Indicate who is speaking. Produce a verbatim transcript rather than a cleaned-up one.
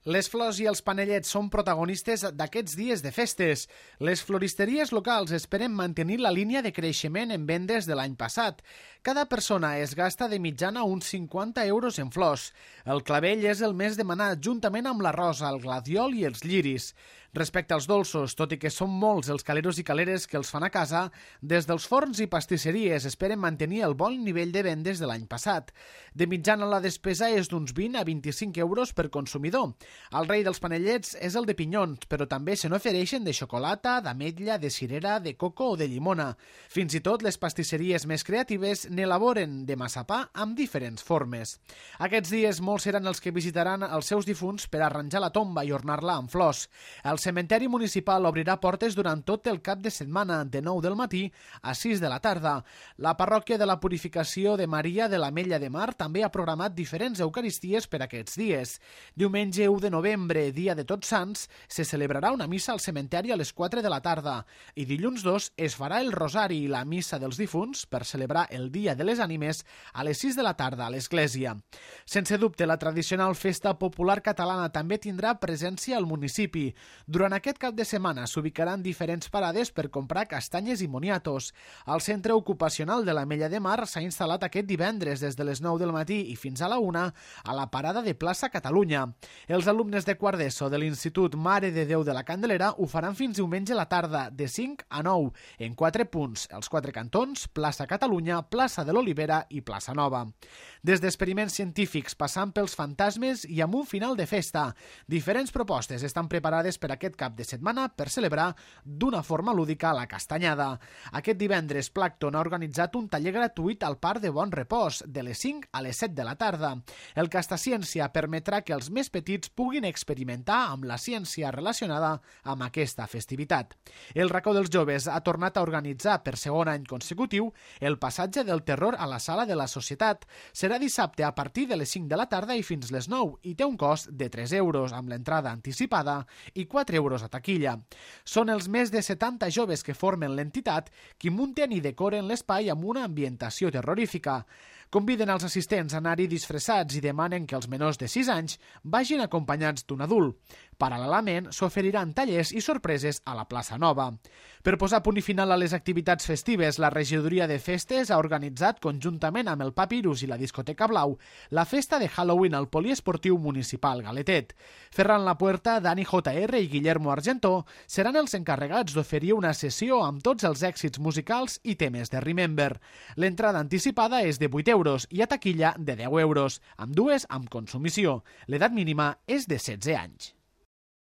Speaker 1: Les flors i els panellets són protagonistes d'aquests dies de festes. Les floristeries locals esperen mantenir la línia de creixement en vendes de l'any passat. Cada persona es gasta de mitjana uns cinquanta euros en flors. El clavell és el més demanat, juntament amb la rosa, el gladiol i els lliris. Respecte als dolços, tot i que són molts els caleros i caleres que els fan a casa, des dels forns i pastisseries esperen mantenir el bon nivell de vendes de l'any passat. De mitjana la despesa és d'uns vint a vint-i-cinc euros per consumidor. El rei dels panellets és el de pinyons, però també se n'ofereixen de xocolata, d'ametlla, de cirera, de coco o de llimona. Fins i tot les pastisseries més creatives n'elaboren de massapà amb diferents formes. Aquests dies molts seran els que visitaran els seus difunts per arranjar la tomba i ornar-la amb flors. El cementeri municipal obrirà portes durant tot el cap de setmana, de nou del matí a sis de la tarda. La parròquia de la Purificació de Maria de l'Ametlla de Mar també ha programat diferents eucaristies per aquests dies. Diumenge u de novembre, dia de Tots Sants, se celebrarà una missa al cementeri a les quatre de la tarda i dilluns dos es farà el rosari i la missa dels difunts per celebrar el Dia de les Ànimes a les sis de la tarda a l'església. Sense dubte, la tradicional festa popular catalana també tindrà presència al municipi. Durant aquest cap de setmana s'ubicaran diferents parades per comprar castanyes i moniatos. El centre ocupacional de l'Ametlla de Mar s'ha instal·lat aquest divendres des de les nou del matí i fins a la una a la parada de plaça Catalunya. Els alumnes de quart d'ESO de l'Institut Mare de Déu de la Candelera ho faran fins diumenge a la tarda, de cinc a nou, en quatre punts, els quatre cantons, plaça Catalunya, plaça de l'Olivera i plaça Nova. Des d'experiments científics, passant pels fantasmes i amb un final de festa, diferents propostes estan preparades per aquest cap de setmana per celebrar d'una forma lúdica la castanyada. Aquest divendres, Plàcton ha organitzat un taller gratuït al Parc de Bon Repòs, de les cinc a les set de la tarda. El Castaciència permetrà que els més petits puguin experimentar amb la ciència relacionada amb aquesta festivitat. El Racó dels Joves ha tornat a organitzar per segon any consecutiu el passatge del terror a la Sala de la Societat. Serà dissabte a partir de les cinc de la tarda i fins les nou i té un cost de tres euros amb l'entrada anticipada i quatre euros a taquilla. Són els més de setanta joves que formen l'entitat qui munten i decoren l'espai amb una ambientació terrorífica. Conviden els assistents a anar-hi disfressats i demanen que els menors de sis anys vagin acompanyats d'un adult. Paral·lelament, s'oferiran tallers i sorpreses a la plaça Nova. Per posar punt i final a les activitats festives, la regidoria de festes ha organitzat, conjuntament amb el Papirus i la discoteca Blau, la festa de Halloween al poliesportiu municipal Galetet. Ferran Lapuerta, Dani J R i Guillermo Argentó seran els encarregats d'oferir una sessió amb tots els èxits musicals i temes de Remember. L'entrada anticipada és de vuit euros i a taquilla de deu euros, amb dues amb consumició. L'edat mínima és de setze anys.